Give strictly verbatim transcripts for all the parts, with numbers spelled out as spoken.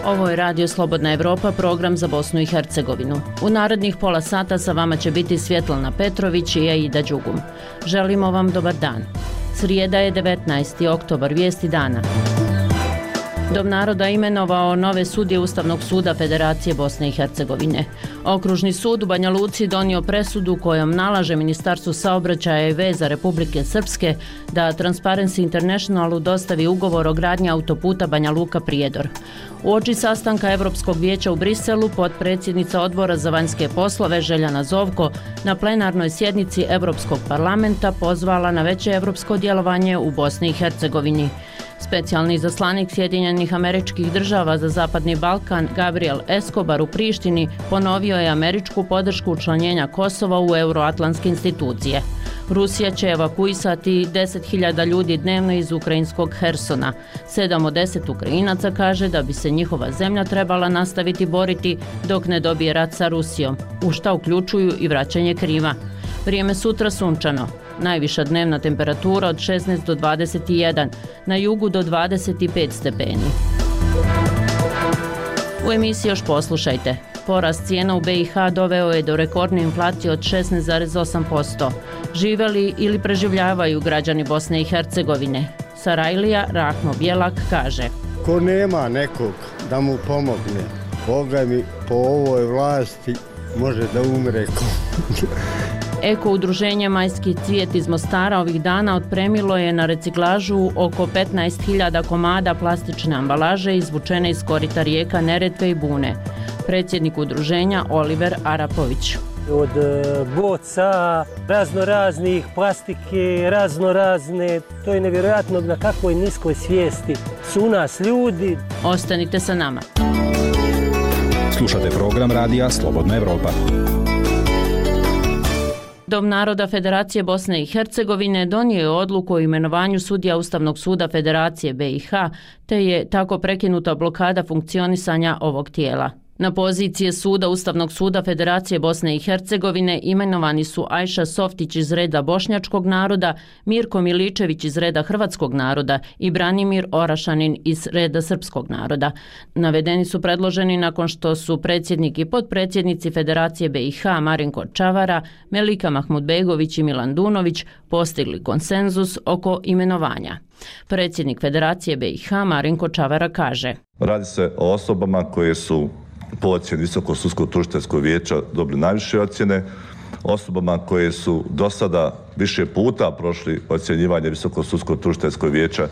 Ovo je Radio Slobodna Evropa, program za Bosnu i Hercegovinu. U narednih pola sata sa vama će biti Svjetlana Petrović i Aida Đugum. Želimo vam dobar dan. Srijeda je devetnaesti oktobar, vijesti dana. Dom naroda imenovao nove sudije Ustavnog suda Federacije Bosne i Hercegovine. Okružni sud u Banja Luci donio presudu kojom nalaže Ministarstvu saobraćaja i veza Republike Srpske da Transparency Internationalu dostavi ugovor o gradnji autoputa Banja Luka-Prijedor. Uoči sastanka Europskog vijeća u Briselu, potpredsjednica Odbora za vanjske poslove Željana Zovko na plenarnoj sjednici Europskog parlamenta pozvala na veće europsko djelovanje u Bosni i Hercegovini. Specijalni izaslanik Sjedinjenih Američkih Država za Zapadni Balkan Gabriel Escobar u Prištini ponovio je američku podršku učlanjenja Kosova u euroatlantske institucije. Rusija će evakuisati deset hiljada ljudi dnevno iz ukrajinskog Hersona. Sedam od deset Ukrajinaca kaže da bi se njihova zemlja trebala nastaviti boriti dok ne dobije rat sa Rusijom, u šta uključuju i vraćanje Krima. Vrijeme sutra sunčano. Najviša dnevna temperatura od šesnaest do dvadeset jedan, na jugu do dvadeset pet stepeni. U emisiji još poslušajte. Porast cijena u B i H doveo je do rekordne inflacije od šesnaest zarez osam posto. Žive li ili preživljavaju građani Bosne i Hercegovine? Sarajlija Rahmo Bjelak kaže: ko nema nekog da mu pomogne, Boga mi po ovoj vlasti može da umre. Eko udruženje Majski cvijet iz Mostara ovih dana otpremilo je na reciklažu oko petnaest hiljada komada plastične ambalaže izvučene iz korita rijeka Neretve i Bune. Predsjednik udruženja Oliver Arapović. Od boca, razno raznih plastike, razno razne, to je nevjerojatno na kakvoj niskoj svijesti su u nas ljudi. Ostanite sa nama. Slušate program Radija Slobodna Evropa. Dom naroda Federacije Bosne i Hercegovine donio je odluku o imenovanju sudija Ustavnog suda Federacije B i H, te je tako prekinuta blokada funkcionisanja ovog tijela. Na pozicije suda Ustavnog suda Federacije Bosne i Hercegovine imenovani su Ajša Softić iz reda bošnjačkog naroda, Mirko Miličević iz reda hrvatskog naroda i Branimir Orašanin iz reda srpskog naroda. Navedeni su predloženi nakon što su predsjednik i potpredsjednici Federacije B i H Marinko Čavara, Melika Mahmudbegović i Milan Dunović postigli konsenzus oko imenovanja. Predsjednik Federacije B i H Marinko Čavara kaže: radi se o osobama koje su po ocjeni Visokog sudskog tužiteljskog vijeća dobili najviše ocjene, osobama koje su do sada više puta prošli ocjenjivanje Visokog sudskog tužiteljskog vijeća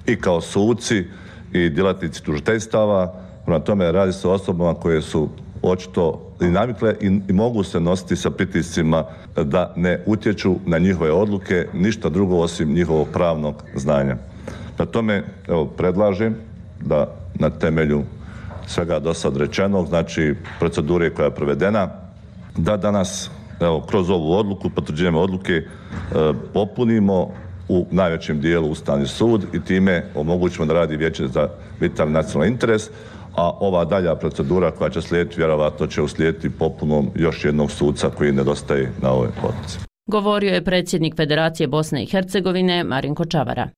i kao suci i djelatnici tužiteljstava. Prema tome radi se o osobama koje su očito i navikle i, i mogu se nositi sa pritiscima da ne utječu na njihove odluke, ništa drugo osim njihovog pravnog znanja. Na tome evo, predlažem da na temelju svega do sad rečenog, znači procedure koja je provedena, da danas evo, kroz ovu odluku, potvrđujemo odluke, e, popunimo u najvećem dijelu Ustavni sud i time omogućimo da radi Vijeće za vitalni nacionalni interes, a ova dalja procedura koja će slijediti vjerovatno će uslijediti popunom još jednog suca koji nedostaje na ovoj odluci. Govorio je predsjednik Federacije Bosne i Hercegovine Marinko Čavara.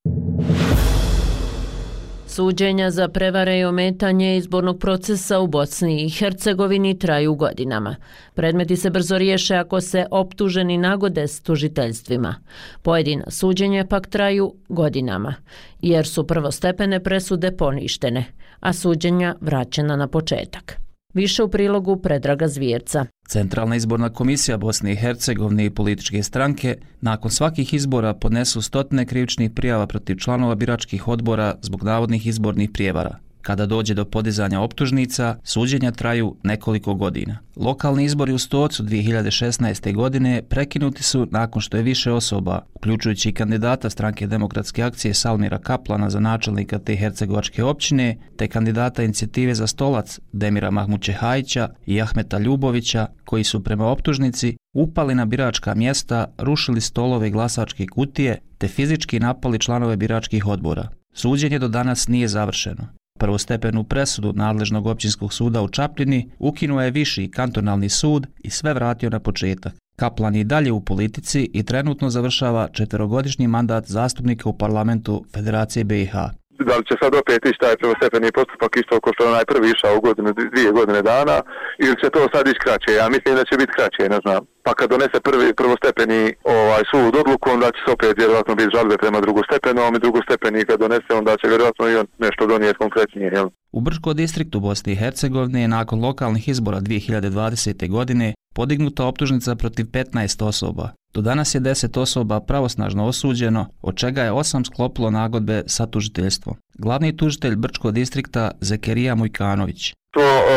Suđenja za prevare i ometanje izbornog procesa u Bosni i Hercegovini traju godinama. Predmeti se brzo riješe ako se optuženi nagode s tužiteljstvima. Pojedina suđenja pak traju godinama, jer su prvostepene presude poništene, a suđenja vraćena na početak. Više u prilogu Predraga Zvjerca. Centralna izborna komisija Bosne i Hercegovine i političke stranke nakon svakih izbora podnesu stotine krivičnih prijava protiv članova biračkih odbora zbog navodnih izbornih prijevara. Kada dođe do podizanja optužnica, suđenja traju nekoliko godina. Lokalni izbori u Stocu dvije hiljade šesnaeste. godine prekinuti su nakon što je više osoba, uključujući i kandidata Stranke demokratske akcije Salmira Kaplana za načelnika te hercegovačke općine, te kandidata Inicijative za stolac Demira Mahmučehajića i Ahmeta Ljubovića, koji su prema optužnici upali na biračka mjesta, rušili stolove i glasačke kutije, te fizički napali članove biračkih odbora. Suđenje do danas nije završeno. Prvostepenu presudu nadležnog općinskog suda u Čapljini ukinuo je viši kantonalni sud i sve vratio na početak. Kaplan je i dalje u politici i trenutno završava četverogodišnji mandat zastupnika u parlamentu Federacije B i H. Da li će sad opet ići taj prvostepeni postupak isto kao što je najprvi išao u godinu, dvije godine dana, ili će to sad ići kraće? Ja mislim da će biti kraće, ne znam. Pa kad donese prvi prvostepeni ovaj sud odluku, onda će se opet vjerojatno biti žalbe prema drugostepenom i drugostepeni kad donese, onda će vjerojatno i on nešto donijeti konkretnije, jel? U Brčko distriktu Bosne i Hercegovine je nakon lokalnih izbora dvije hiljade dvadesete. godine podignuta optužnica protiv petnaest osoba. Do danas je deset osoba pravosnažno osuđeno, od čega je osam sklopilo nagodbe sa tužiteljstvom. Glavni tužitelj Brčkog distrikta Zekerija Mujkanović. To e,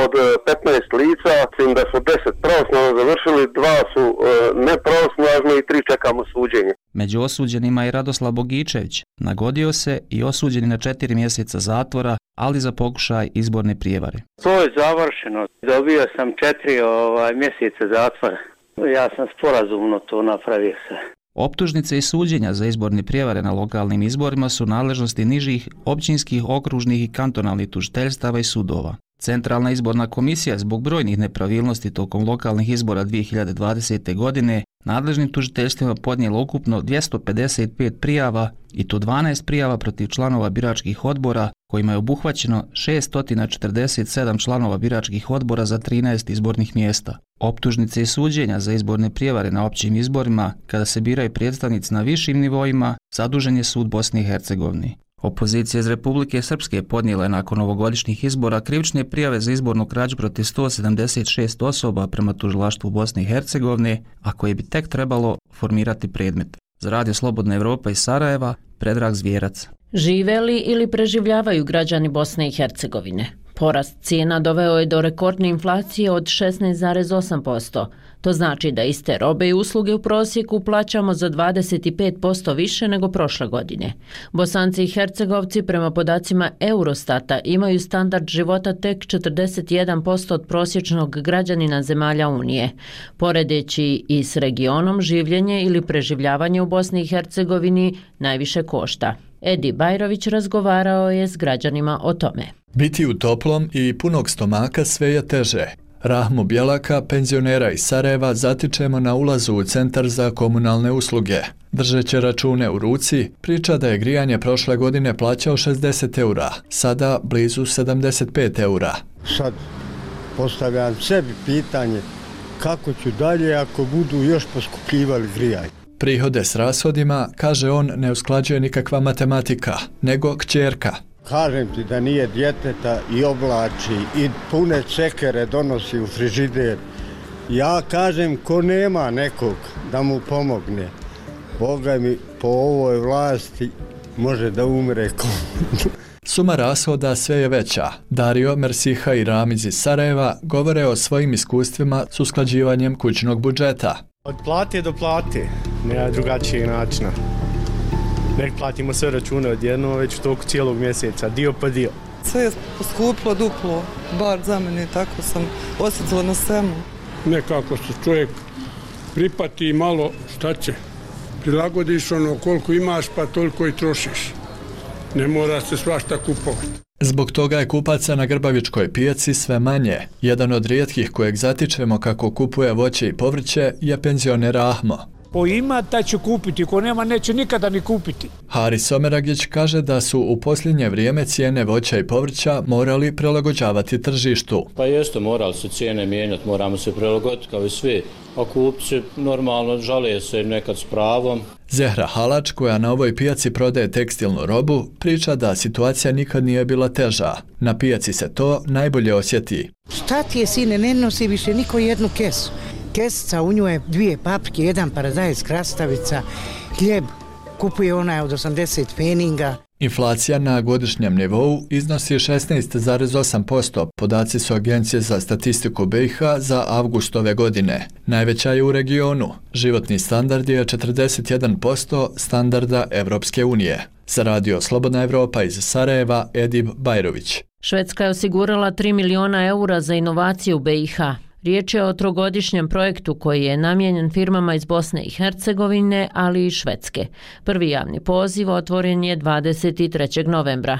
od petnaest lica, mislim da su deset pravosnažno završili, dva su e, nepravosnažno i tri čekamo suđenje. Među osuđenima je Radoslav Bogičević. Nagodio se i osuđen na četiri mjeseca zatvora, ali za pokušaj izborne prijevare. To je završeno. Dobio sam četiri ovaj, mjeseca zatvora. Ja sam sporazumno to napravio se. Optužnice i suđenja za izborne prijevare na lokalnim izborima su nadležnosti nižih općinskih, okružnih i kantonalnih tužiteljstava i sudova. Centralna izborna komisija zbog brojnih nepravilnosti tokom lokalnih izbora dvije hiljade dvadesete. godine nadležnim tužiteljstvima podnijela ukupno dvjesto pedeset pet prijava i to dvanaest prijava protiv članova biračkih odbora, kojima je obuhvaćeno šesto četrdeset sedam članova biračkih odbora za trinaest izbornih mjesta. Optužnice i suđenja za izborne prijevare na općim izborima, kada se biraju predstavnici na višim nivoima, zadužen je sud Bosne i Hercegovine. Opozicija iz Republike Srpske podnijela je nakon ovogodišnjih izbora krivične prijave za izbornu krađu protiv sto sedamdeset šest osoba prema tužilaštvu Bosne i Hercegovine, a koje bi tek trebalo formirati predmet. Za Radio Slobodna Evropa iz Sarajeva, Predrag Zvjerac. Žive li ili preživljavaju građani Bosne i Hercegovine? Porast cijena doveo je do rekordne inflacije od šesnaest zarez osam posto. To znači da iste robe i usluge u prosjeku plaćamo za dvadeset pet posto više nego prošle godine. Bosanci i Hercegovci prema podacima Eurostata imaju standard života tek četrdeset jedan posto od prosječnog građanina zemalja Unije. Poredeći i s regionom, življenje ili preživljavanje u Bosni i Hercegovini najviše košta. Edi Bajrović razgovarao je s građanima o tome. Biti u toplom i punog stomaka sve je teže. Rahmu Bjelaka, penzionera iz Sarajeva, zatičemo na ulazu u centar za komunalne usluge. Držeći račune u ruci, priča da je grijanje prošle godine plaćao šezdeset eura, sada blizu sedamdeset pet eura. Sad postavljam sebi pitanje kako ću dalje ako budu još poskupljivali grijanje. Prihode s rashodima, kaže on, ne usklađuje nikakva matematika, nego kćerka. Kažem ti da nije djeteta i oblači i pune cekere donosi u frižider. Ja kažem ko nema nekog da mu pomogne. Boga mi po ovoj vlasti može da umre ko. Suma rashoda sve je veća. Dario, Mersiha i Ramiz iz Sarajeva govore o svojim iskustvima s usklađivanjem kućnog budžeta. Od plate do plate, nema drugačijeg načina. Nek platimo sve račune odjedno već u toku cijelog mjeseca, dio po dio. Sve je poskuplo duplo, bar za mene, tako sam osjetila na svemu. Nekako se čovjek pripati malo, šta će, prilagodiš ono koliko imaš pa toliko i trošiš. Ne mora se svašta kupovati. Zbog toga je kupaca na Grbavičkoj pijaci sve manje. Jedan od rijetkih kojeg zatičemo kako kupuje voće i povrće je penzioner Ahmo. Ko ima, taj će kupiti, ko nema, neće nikada ni kupiti. Haris Someragić kaže da su u posljednje vrijeme cijene voća i povrća morali prilagođavati tržištu. Pa jeste, morali se cijene mijenjati, moramo se prilagoditi kao i svi. A kupci normalno žale se nekad s pravom. Zehra Halač, koja na ovoj pijaci prodaje tekstilnu robu, priča da situacija nikad nije bila teža. Na pijaci se to najbolje osjeti. Šta ti je, sine, ne nosi više niko jednu kesu. Kesica, u njoj je dvije paprike, jedan paradajz, krastavica, hljeb, kupuje onaj od osamdeset pfeninga. Inflacija na godišnjem nivou iznosi šesnaest zarez osam posto, podaci su Agencije za statistiku B i H za avgust ove godine. Najveća je u regionu. Životni standard je četrdeset jedan posto standarda Evropske unije. Za Radio Slobodna Evropa iz Sarajeva, Edib Bajrović. Švedska je osigurala tri miliona eura za inovacije u B i H. Riječ je o trogodišnjem projektu koji je namijenjen firmama iz Bosne i Hercegovine, ali i Švedske. Prvi javni poziv otvoren je dvadeset trećeg novembra.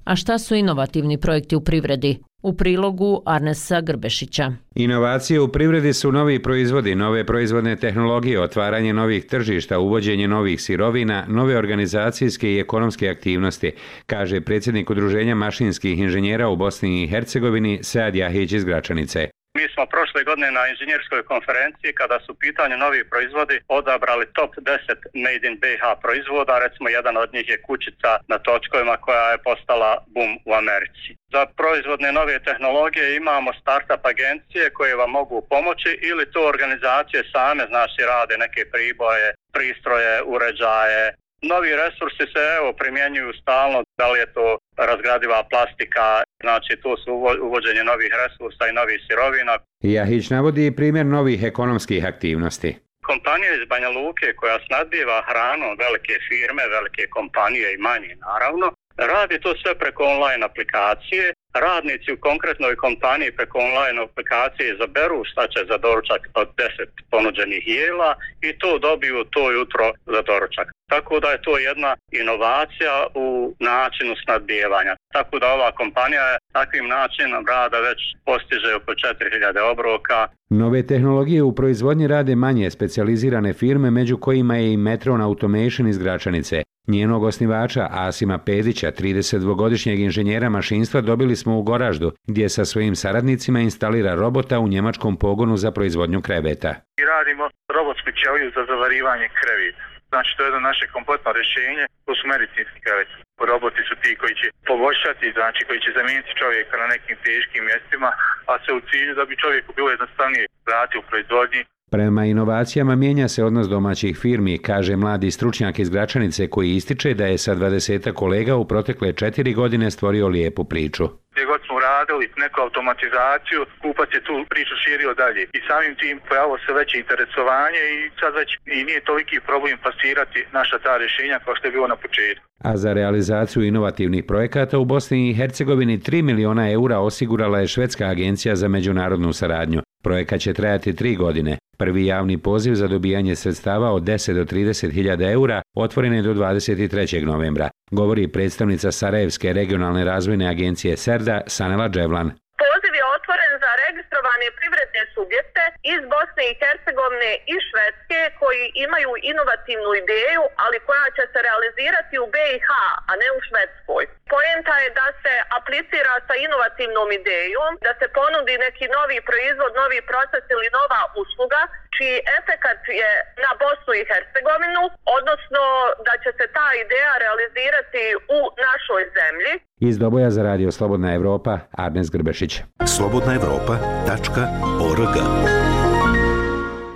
A šta su inovativni projekti u privredi? U prilogu Arnesa Grbešića. Inovacije u privredi su novi proizvodi, nove proizvodne tehnologije, otvaranje novih tržišta, uvođenje novih sirovina, nove organizacijske i ekonomske aktivnosti, kaže predsjednik Udruženja mašinskih inženjera u Bosni i Hercegovini Sead Jahić iz Gračanice. Mi smo prošle godine na inženjerskoj konferenciji, kada su u pitanju novi proizvodi, odabrali top deset Made in B i H proizvoda. Recimo, jedan od njih je kućica na točkovima koja je postala boom u Americi. Za proizvodne nove tehnologije imamo startup agencije koje vam mogu pomoći ili to organizacije same, znači rade neke priboje, pristroje, uređaje. Novi resursi se evo primjenjuju stalno, da li je to razgradiva plastika, znači to su uvođenje novih resursa i novih sirovina. Jahić navodi primjer novih ekonomskih aktivnosti. Kompanija iz Banja Luke koja snadbiva hranom, velike firme, velike kompanije i manje naravno, radi to sve preko online aplikacije. Radnici u konkretnoj kompaniji preko online aplikacije izaberu šta će za doručak od deset ponuđenih jela i to dobiju to jutro za doručak. Tako da je to jedna inovacija u načinu snadbijevanja. Tako da ova kompanija je takvim načinom rada već postiže oko četiri hiljade obroka. Nove tehnologije u proizvodnji rade manje specijalizirane firme, među kojima je i Metron Automation iz Gračanice. Njenog osnivača Asima Pedića, tridesetdvogodišnjeg inženjera mašinstva, dobili smo u Goraždu, gdje sa svojim saradnicima instalira robota u njemačkom pogonu za proizvodnju kreveta. I radimo robotsku ćeliju za zavarivanje kreveta. Znači, to je jedno naše kompletno rješenje, to su medicinski kreveti. Roboti su ti koji će poboljšati, znači koji će zamijeniti čovjeka na nekim teškim mjestima, a sve u cilju da bi čovjeku bilo jednostavnije raditi u proizvodnji. Prema inovacijama mijenja se odnos domaćih firmi, kaže mladi stručnjak iz Gračanice koji ističe da je sa dvadesetak kolega u protekle četiri godine stvorio lijepu priču. Gdje god smo radili neku automatizaciju, kupac je tu priču širio dalje i samim tim pojavilo se veće interesovanje i sad već i nije toliki problem plasirati naša ta rješenja kao što je bilo na početku. A za realizaciju inovativnih projekata u Bosni i Hercegovini tri miliona eura osigurala je Švedska agencija za međunarodnu saradnju. Projekat će trajati tri godine. Prvi javni poziv za dobijanje sredstava od deset do trideset hiljada eura otvoren je do dvadeset trećeg novembra, govori predstavnica Sarajevske regionalne razvojne agencije SERDA Sanela Dževlan. Poziv je otvoren za registrovane privredne subjekte iz Bosne i Hercegovine i Švedske koji imaju inovativnu ideju, ali koja će se realizirati u B i H, a ne u Švedskoj. Poenta je da se aplicira sa inovativnom idejom, da se ponudi neki novi proizvod, novi proces ili nova usluga, čiji efekat je na Bosnu i Hercegovinu, odnosno da će se ta ideja realizirati u našoj zemlji. Iz Doboja za radio Slobodna Evropa, Arnes Grbešić. slobodna evropa tačka org.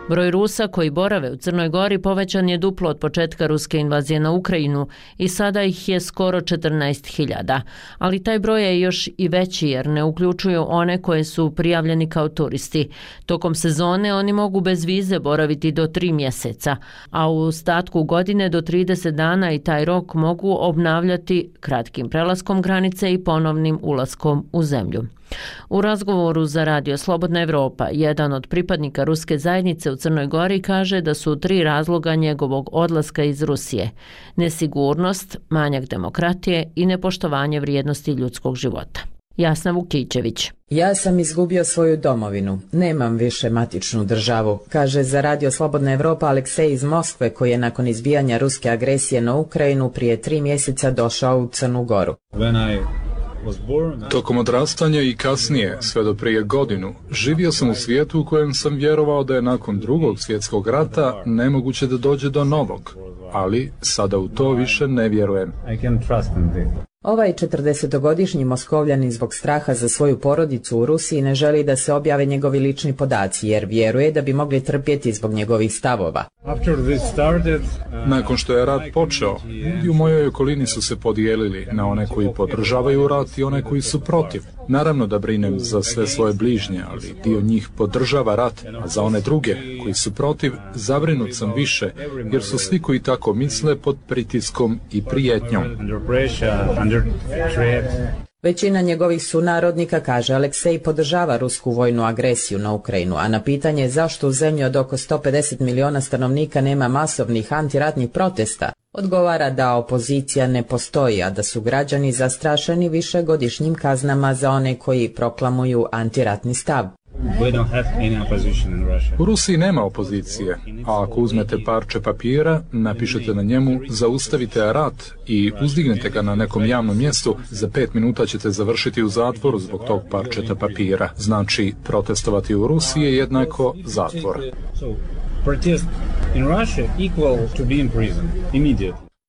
Broj Rusa koji borave u Crnoj Gori povećan je duplo od početka ruske invazije na Ukrajinu i sada ih je skoro četrnaest hiljada. Ali taj broj je još i veći jer ne uključuju one koje su prijavljeni kao turisti. Tokom sezone oni mogu bez vize boraviti do tri mjeseca, a u ostatku godine do trideset dana i taj rok mogu obnavljati kratkim prelaskom granice i ponovnim ulaskom u zemlju. U razgovoru za radio Slobodna Evropa, jedan od pripadnika ruske zajednice u Crnoj Gori kaže da su tri razloga njegovog odlaska iz Rusije: nesigurnost, manjak demokratije i nepoštovanje vrijednosti ljudskog života. Jasna Vukićević. Ja sam izgubio svoju domovinu. Nemam više matičnu državu, kaže za radio Slobodna Evropa Aleksej iz Moskve koji je nakon izbijanja ruske agresije na Ukrajinu prije tri mjeseca došao u Crnu Goru. Tokom odrastanja i kasnije, sve do prije godinu, živio sam u svijetu u kojem sam vjerovao da je nakon drugog svjetskog rata nemoguće da dođe do novog, ali sada u to više ne vjerujem. Ovaj četrdesetogodišnji Moskovljanin zbog straha za svoju porodicu u Rusiji ne želi da se objave njegovi lični podaci jer vjeruje da bi mogli trpjeti zbog njegovih stavova. Nakon što je rat počeo, ljudi u mojoj okolini su se podijelili na one koji podržavaju rat i one koji su protiv. Naravno da brinem za sve svoje bližnje, ali dio njih podržava rat, a za one druge koji su protiv zabrinut sam više jer su svi koji tako misle pod pritiskom i prijetnjom. Većina njegovih sunarodnika, kaže Aleksej, podržava rusku vojnu agresiju na Ukrajinu, a na pitanje zašto u zemlji od oko sto pedeset miliona stanovnika nema masovnih antiratnih protesta, odgovara da opozicija ne postoji, a da su građani zastrašeni višegodišnjim kaznama za one koji proklamuju antiratni stav. U Rusiji nema opozicije, a ako uzmete parče papira, napišete na njemu zaustavite rat i uzdignete ga na nekom javnom mjestu, za pet minuta ćete završiti u zatvoru zbog tog parčeta papira. Znači, protestovati u Rusiji je jednako zatvor.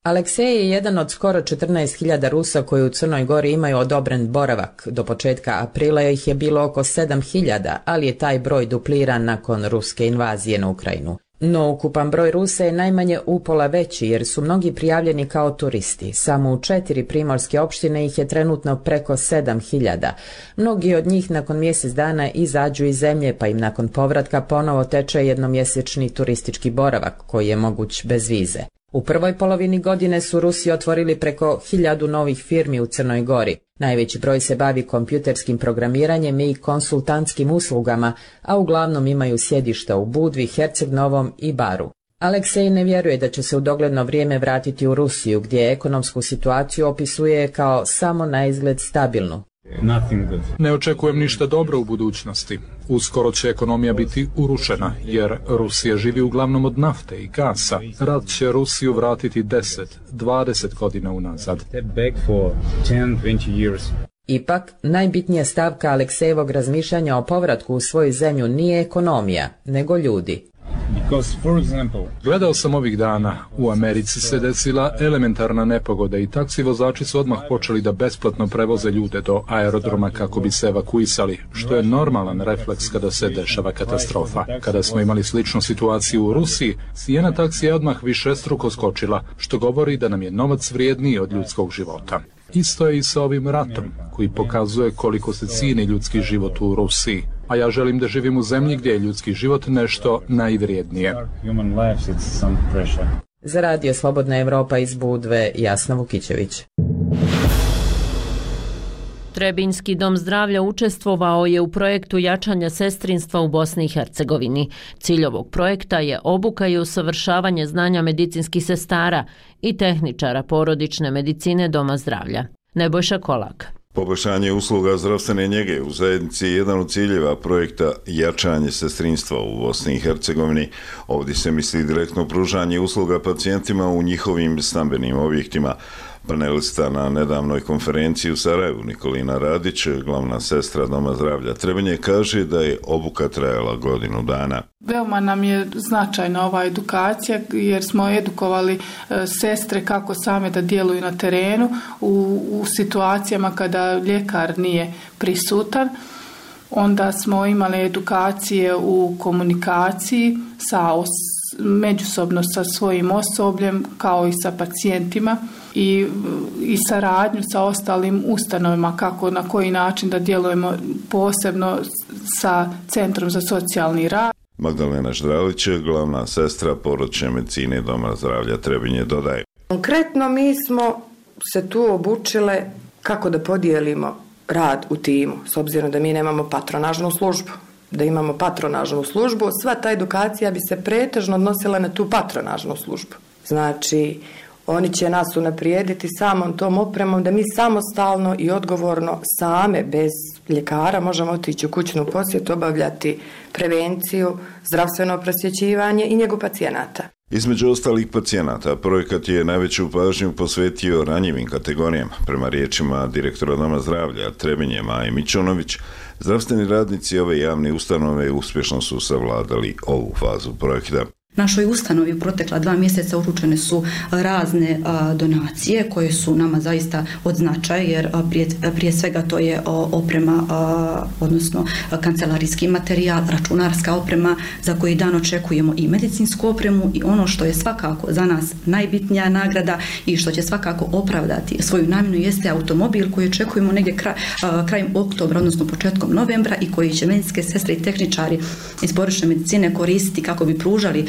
Aleksej je jedan od skoro četrnaest hiljada Rusa koji u Crnoj Gori imaju odobren boravak. Do početka aprila ih je bilo oko sedam hiljada, ali je taj broj dupliran nakon ruske invazije na Ukrajinu. No ukupan broj Rusa je najmanje upola veći jer su mnogi prijavljeni kao turisti. Samo u četiri primorske opštine ih je trenutno preko sedam hiljada. Mnogi od njih nakon mjesec dana izađu iz zemlje pa im nakon povratka ponovo teče jednomjesečni turistički boravak koji je moguć bez vize. U prvoj polovini godine su Rusi otvorili preko hiljadu novih firmi u Crnoj Gori. Najveći broj se bavi kompjuterskim programiranjem i konsultantskim uslugama, a uglavnom imaju sjedišta u Budvi, Herceg Novom i Baru. Aleksej ne vjeruje da će se u dogledno vrijeme vratiti u Rusiju, gdje ekonomsku situaciju opisuje kao samo na izgled stabilnu. Ne očekujem ništa dobro u budućnosti. Uskoro će ekonomija biti urušena, jer Rusija živi uglavnom od nafte i gasa. Rat će Rusiju vratiti deset, dvadeset godina unazad. Ipak, najbitnija stavka Aleksejevog razmišljanja o povratku u svoju zemlju nije ekonomija, nego ljudi. Gledao sam ovih dana, u Americi se desila elementarna nepogoda i taksi vozači su odmah počeli da besplatno prevoze ljude do aerodroma kako bi se evakuisali, što je normalan refleks kada se dešava katastrofa. Kada smo imali sličnu situaciju u Rusiji, cijena taksija je odmah višestruko skočila, što govori da nam je novac vrijedniji od ljudskog života. Isto je i sa ovim ratom, koji pokazuje koliko se cijeni ljudski život u Rusiji. A ja želim da živim u zemlji gdje je ljudski život nešto najvrijednije. Za Radio Slobodna Evropa iz Budve, Jasna Vukićević. Trebinjski dom zdravlja učestvovao je u projektu jačanja sestrinstva u Bosni i Hercegovini. Cilj ovog projekta je obuka i usavršavanje znanja medicinskih sestara i tehničara porodične medicine doma zdravlja. Nebojša Kolak. Poboljšanje usluga zdravstvene njege u zajednici je jedan od ciljeva projekta jačanje sestrinstva u Bosni i Hercegovini. Ovdje se misli direktno pružanje usluga pacijentima u njihovim stambenim objektima. Panelista na nedavnoj konferenciji u Sarajevu Nikolina Radić, glavna sestra Doma zdravlja Trebinje, kaže da je obuka trajala godinu dana. Veoma nam je značajna ova edukacija jer smo edukovali sestre kako same da djeluju na terenu u, u situacijama kada ljekar nije prisutan. Onda smo imali edukacije u komunikaciji sa os, međusobno sa svojim osobljem kao i sa pacijentima i, i saradnju sa ostalim ustanovama kako na koji način da djelujemo posebno sa Centrom za socijalni rad. Magdalena Ždralić, glavna sestra porodične medicine Doma zdravlja Trebinje, dodaje. Konkretno mi smo se tu obučile kako da podijelimo rad u timu, s obzirom da mi nemamo patronažnu službu. Da imamo patronažnu službu, sva ta edukacija bi se pretežno odnosila na tu patronažnu službu. Znači, oni će nas unaprijediti samom tom opremom da mi samostalno i odgovorno same, bez ljekara, možemo otići u kućnu posjetu, obavljati prevenciju, zdravstveno prosvjećivanje i njegu pacijenata. Između ostalih pacijenata, projekat je najveću pažnju posvetio ranjivim kategorijama. Prema riječima direktora Doma zdravlja Trebinje Maje Mićunović, zdravstveni radnici ove javne ustanove uspješno su savladali ovu fazu projekta. Našoj ustanovi u protekla dva mjeseca uručene su razne a, donacije koje su nama zaista od značaja jer a, prije, prije svega to je a, oprema, a, odnosno a, kancelarijski materijal, računarska oprema za koji dan očekujemo i medicinsku opremu i ono što je svakako za nas najbitnija nagrada i što će svakako opravdati svoju namjenu jeste automobil koji očekujemo negdje kraj, a, krajem oktobra, odnosno početkom novembra i koji će medicinske sestre i tehničari iz porodične medicine koristiti kako bi pružali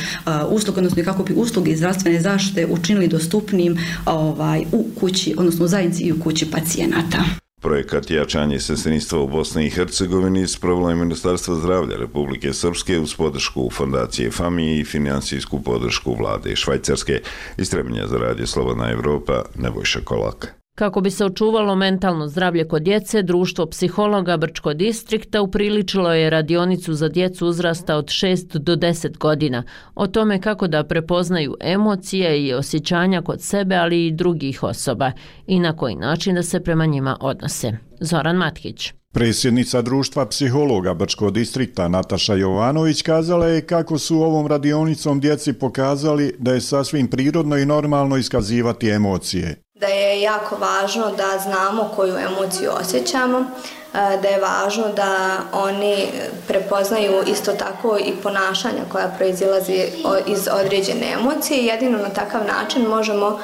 usluge, odnosno kako bi usluge zdravstvene zaštite učinili dostupnim ovaj, u kući, odnosno u zajednici i u kući pacijenata. Projekat jačanje sestrinstva u Bosni i Hercegovini sprovelo je Ministarstvo zdravlja Republike Srpske uz podršku Fondacije Fami i financijsku podršku vlade Švajcarske. Iz Trebinja za Radio Slobodna Evropa, Nebojša Kolak. Kako bi se očuvalo mentalno zdravlje kod djece, Društvo psihologa Brčko distrikta upriličilo je radionicu za djecu uzrasta od šest do deset godina o tome kako da prepoznaju emocije i osjećanja kod sebe, ali i drugih osoba i na koji način da se prema njima odnose. Zoran Matkić. Predsjednica Društva psihologa Brčko distrikta Nataša Jovanović kazala je kako su ovom radionicom djeci pokazali da je sasvim prirodno i normalno iskazivati emocije. Da je jako važno da znamo koju emociju osjećamo, da je važno da oni prepoznaju isto tako i ponašanja koja proizilazi iz određene emocije. Jedino na takav način možemo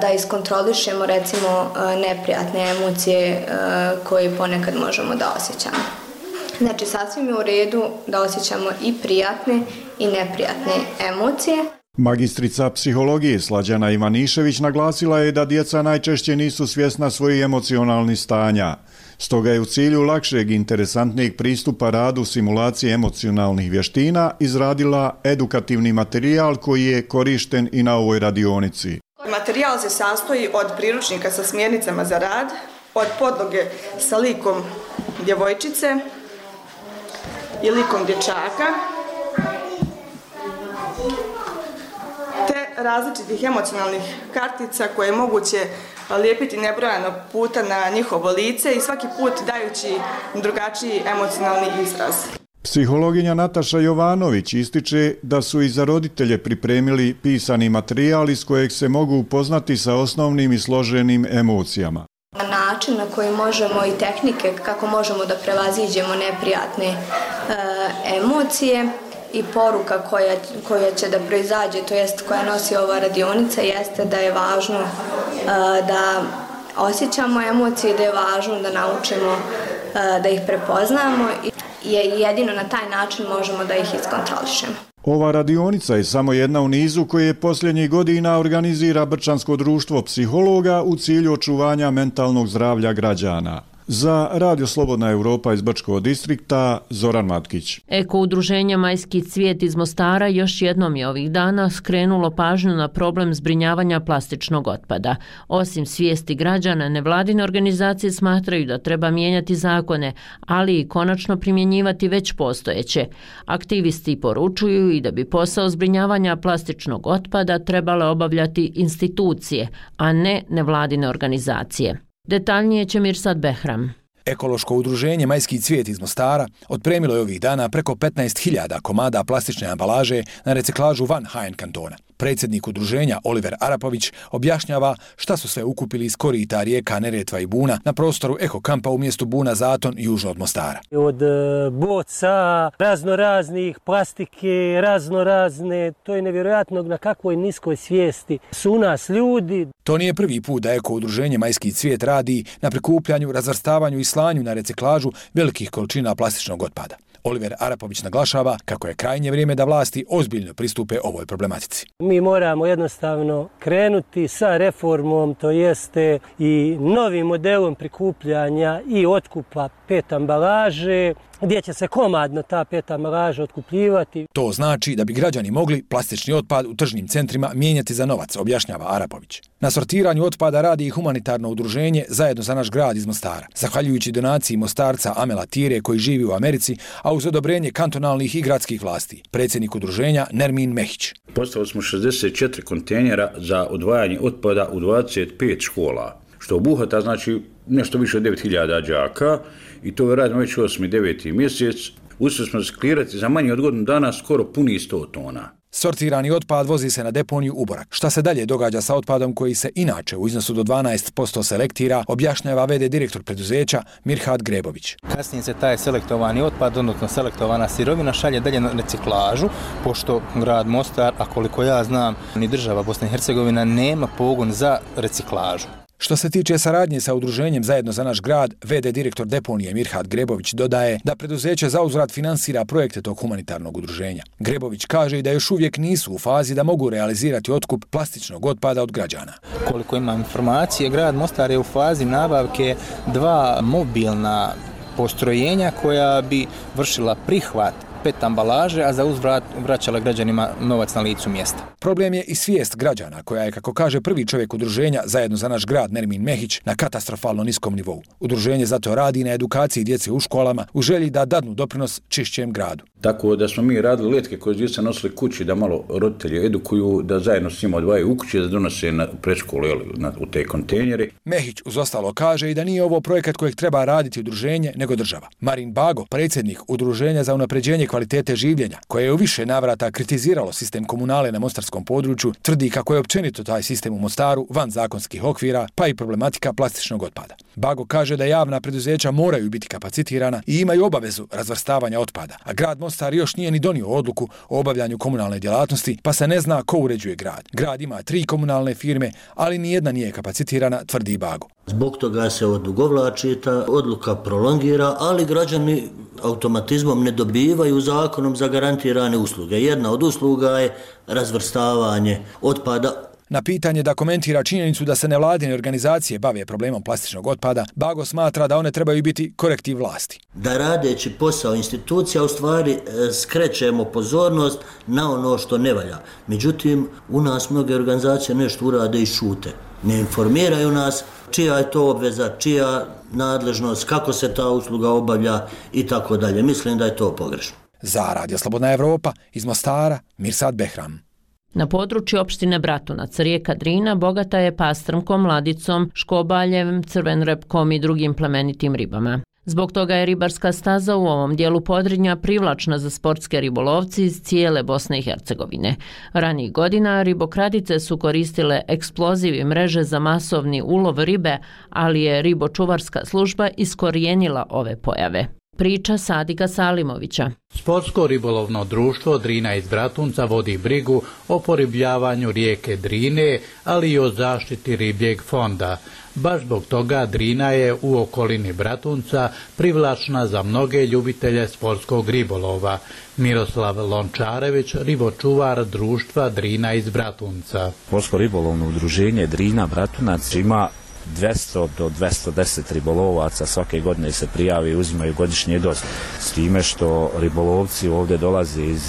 da iskontrolišemo recimo neprijatne emocije koje ponekad možemo da osjećamo. Znači sasvim je u redu da osjećamo i prijatne i neprijatne emocije. Magistrica psihologije Slađana Ivanišević naglasila je da djeca najčešće nisu svjesna svojih emocionalnih stanja. Stoga je u cilju lakšeg i interesantnijeg pristupa radu simulacije emocionalnih vještina izradila edukativni materijal koji je korišten i na ovoj radionici. Materijal se sastoji od priručnika sa smjernicama za rad, od podloge sa likom djevojčice i likom dječaka, te različitih emocionalnih kartica koje je moguće lijepiti nebrojano puta na njihovo lice i svaki put dajući drugačiji emocionalni izraz. Psihologinja Nataša Jovanović ističe da su i za roditelje pripremili pisani materijal iz kojeg se mogu upoznati sa osnovnim i složenim emocijama. Način na koji možemo i tehnike kako možemo da prevaziđemo neprijatne e, emocije i poruka koja, koja će da proizađe, to jest koja nosi ova radionica, jeste da je važno e, da osjećamo emocije, da je važno da naučimo e, da ih prepoznamo i jedino na taj način možemo da ih iskontrolišemo. Ova radionica je samo jedna u nizu koje posljednjih godina organizira Brčansko društvo psihologa u cilju očuvanja mentalnog zdravlja građana. Za Radio Slobodna Evropa iz Brčkog distrikta, Zoran Matkić. Eko udruženje Majski cvijet iz Mostara još jednom je ovih dana skrenulo pažnju na problem zbrinjavanja plastičnog otpada. Osim svijesti građana, nevladine organizacije smatraju da treba mijenjati zakone, ali i konačno primjenjivati već postojeće. Aktivisti poručuju i da bi posao zbrinjavanja plastičnog otpada trebale obavljati institucije, a ne nevladine organizacije. Detaljnije će Mirsad Behram. Ekološko udruženje Majski cvijet iz Mostara otpremilo je ovih dana preko petnaest hiljada komada plastične ambalaže na reciklažu van Hajen kantona. Predsjednik udruženja Oliver Arapović objašnjava šta su sve ukupili iz korita rijeka Neretva i Buna na prostoru Eko kampa u mjestu Buna Zaton južno od Mostara. Od boca, razno raznih plastike, razno razne, to je nevjerojatno na kakvoj niskoj svijesti su u nas ljudi. To nije prvi put da Eko udruženje Majski cvijet radi na prikupljanju, razvrstavanju i slanju na reciklažu velikih količina plastičnog otpada. Oliver Arapović naglašava kako je krajnje vrijeme da vlasti ozbiljno pristupe ovoj problematici. Mi moramo jednostavno krenuti sa reformom, to jeste i novim modelom prikupljanja i otkupa pet ambalaže, gdje će se komadno ta pet ambalaža otkupljivati. To znači da bi građani mogli plastični otpad u tržnim centrima mijenjati za novac, objašnjava Arapović. Na sortiranju otpada radi i humanitarno udruženje Zajedno za naš grad iz Mostara, zahvaljujući donaciji Mostarca Amela Tire koji živi u Americi, a uz odobrenje kantonalnih i gradskih vlasti. Predsjednik udruženja Nermin Mehić. Postavili smo šezdeset četiri kontejnera za odvajanje otpada u dvadeset pet škola, što obuhvata znači nešto više od devet hiljada đaka i to radimo već osmi deveti mjesec. Uspjeli smo reciklirati za manje od godinu dana skoro puni sto tona. Sortirani otpad vozi se na deponiju u Borak. Šta se dalje događa sa otpadom koji se inače u iznosu do dvanaest posto selektira, objašnjava ve de direktor preduzeća Mirhad Grebović. Kasnije se taj selektovani otpad, odnosno selektovana sirovina šalje dalje na reciklažu, pošto grad Mostar, a koliko ja znam, ni država Bosna i Hercegovina nema pogon za reciklažu. Što se tiče saradnje sa udruženjem Zajedno za naš grad, ve de direktor deponije Mirhat Grebović dodaje da preduzeće zauzvrat finansira projekte tog humanitarnog udruženja. Grebović kaže i da još uvijek nisu u fazi da mogu realizirati otkup plastičnog otpada od građana. Koliko imam informacije, grad Mostar je u fazi nabavke dva mobilna postrojenja koja bi vršila prihvat pet ambalaže, a za uzvrat vraćala građanima novac na licu mjesta. Problem je i svijest građana, koja je, kako kaže prvi čovjek udruženja Zajedno za naš grad Nermin Mehić, na katastrofalno niskom nivou. Udruženje zato radi na edukaciji djece u školama u želji da dadnu doprinos čišćem gradu. Tako da smo mi radili letke koje djeca nosili kući da malo roditelji edukuju, da zajedno s njima odvajaju u kući, da donose na predškolu u te kontejnere. Mehić uz ostalo kaže i da nije ovo projekat kojeg treba raditi udruženje, nego država. Marin Bago, predsjednik Udruženja za unapređenje kvalitete življenja, koje je u više navrata kritiziralo sistem komunale na mostarskom području, tvrdi kako je općenito taj sistem u Mostaru van zakonskih okvira, pa i problematika plastičnog otpada. Bago kaže da javna preduzeća moraju biti kapacitirana i imaju obavezu razvrstavanja otpada, a grad Mostar još nije ni donio odluku o obavljanju komunalne djelatnosti, pa se ne zna ko uređuje grad. Grad ima tri komunalne firme, ali nijedna nije kapacitirana, tvrdi Bago. Zbog toga se odugovlači, ta odluka prolongira, ali građani automatizmom ne dobivaju zakonom zagarantirane usluge. Jedna od usluga je razvrstavanje otpada. Na pitanje da komentira činjenicu da se nevladine organizacije bave problemom plastičnog otpada, Bago smatra da one trebaju biti korektiv vlasti. Da radeći posao institucija u stvari skrećemo pozornost na ono što ne valja. Međutim, u nas mnoge organizacije nešto urade i šute. Ne informiraju nas čija je to obveza, čija nadležnost, kako se ta usluga obavlja i tako dalje. Mislim da je to pogrešno. Za Radio Slobodna Evropa iz Mostara, Mirsad Behram. Na području opštine Bratunac, rijeka Drina bogata je pastrmkom, ladicom, škobaljem, crvenrepkom i drugim plemenitim ribama. Zbog toga je ribarska staza u ovom dijelu Podrinja privlačna za sportske ribolovci iz cijele Bosne i Hercegovine. Ranijih godina ribokradice su koristile eksploziv i mreže za masovni ulov ribe, ali je ribočuvarska služba iskorijenila ove pojave. Priča Sadika Salimovića. Sportsko ribolovno društvo Drina iz Bratunca vodi brigu o poribljavanju rijeke Drine, ali i o zaštiti ribljeg fonda. Baš zbog toga Drina je u okolini Bratunca privlačna za mnoge ljubitelje sportskog ribolova. Miroslav Lončarević, ribočuvar društva Drina iz Bratunca. Sportsko ribolovno udruženje Drina Bratunac ima dvjesto do dvjesto deset ribolovaca svake godine se prijavi i uzimaju godišnje dozvole. S time što ribolovci ovdje dolaze iz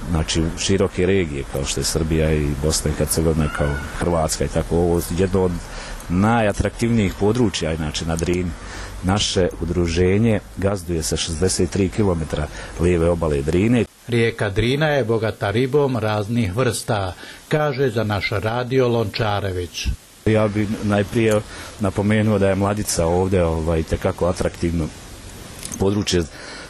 znači, široke regije kao što je Srbija i Bosna i Hercegovina, kao Hrvatska i tako, ovo jedno od najatraktivnijih područja inače na Drini. Naše udruženje gazduje sa šezdeset tri kilometra lijeve obale Drine. Rijeka Drina je bogata ribom raznih vrsta, kaže za naš radio Lončarević. Ja bih najprije napomenuo da je Mladica ovdje ovaj, tekako atraktivno područje.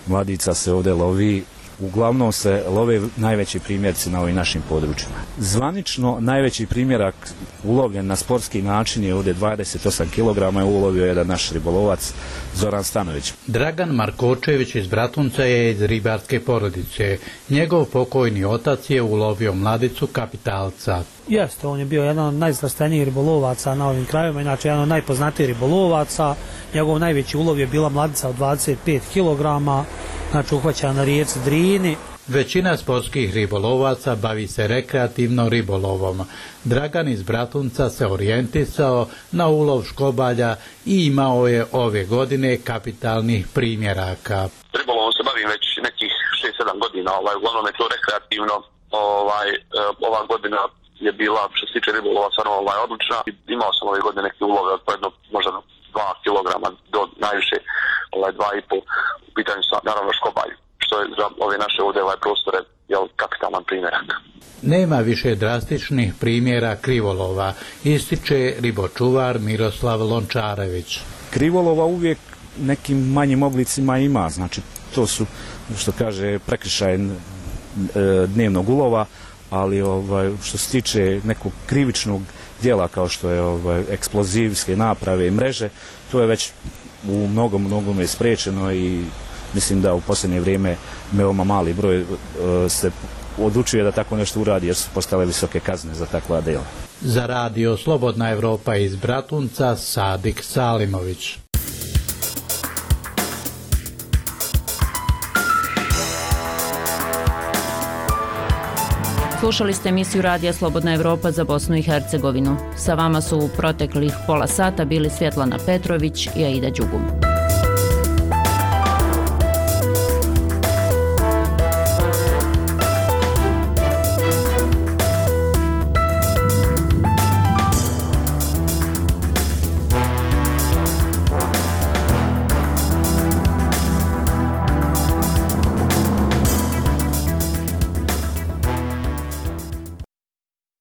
Mladica se ovdje lovi, uglavnom se love najveći primjerci na ovim našim područjima. Zvanično najveći primjerak ulovljen na sportski način je ovdje dvadeset osam kilograma, je ulovio jedan naš ribolovac Zoran Stanović. Dragan Markočević iz Bratunca je iz ribarske porodice. Njegov pokojni otac je ulovio mladicu kapitalca. Jeste, on je bio jedan od najzvrstenijih ribolovaca na ovim krajevima, inače jedan od najpoznatijih ribolovaca. Njegov najveći ulov je bila mladica od dvadeset pet kilograma, znači uhvaćena na rijeci Drini. Većina sportskih ribolovaca bavi se rekreativno ribolovom. Dragan iz Bratunca se orijentisao na ulov škobalja i imao je ove godine kapitalnih primjeraka. Ribolovom se bavim već nekih šest sedam godina, ovaj, uglavnom je to rekreativno. Ovaj, ova godina je bila, što se tiče ribolova, stvarno ovaj, odlična. Imao sam ove godine neke ulove od pojedno, možda dva kilograma do najviše ovaj, dva i pol. U pitanju sam naravno škobalj, što je za ove naše ovdje ovaj prostore jel, kapitalan primjerak. Nema više drastičnih primjera krivolova, ističe ribočuvar Miroslav Lončarević. Krivolova uvijek nekim manjim oblicima ima, znači to su, što kaže, prekršaj e, dnevnog ulova, ali ovaj, što se tiče nekog krivičnog djela kao što je ovaj, eksplozivske naprave i mreže, to je već u mnogom, mnogome spriječeno i mislim da u posljednje vrijeme veoma mali broj uh, se odlučuje da tako nešto uradi jer su postale visoke kazne za takva dela. Za radio Slobodna Evropa iz Bratunca, Sadik Salimović. Slušali ste emisiju Radija Slobodna Evropa za Bosnu i Hercegovinu. Sa vama su u proteklih pola sata bili Svjetlana Petrović i Aida Đugum.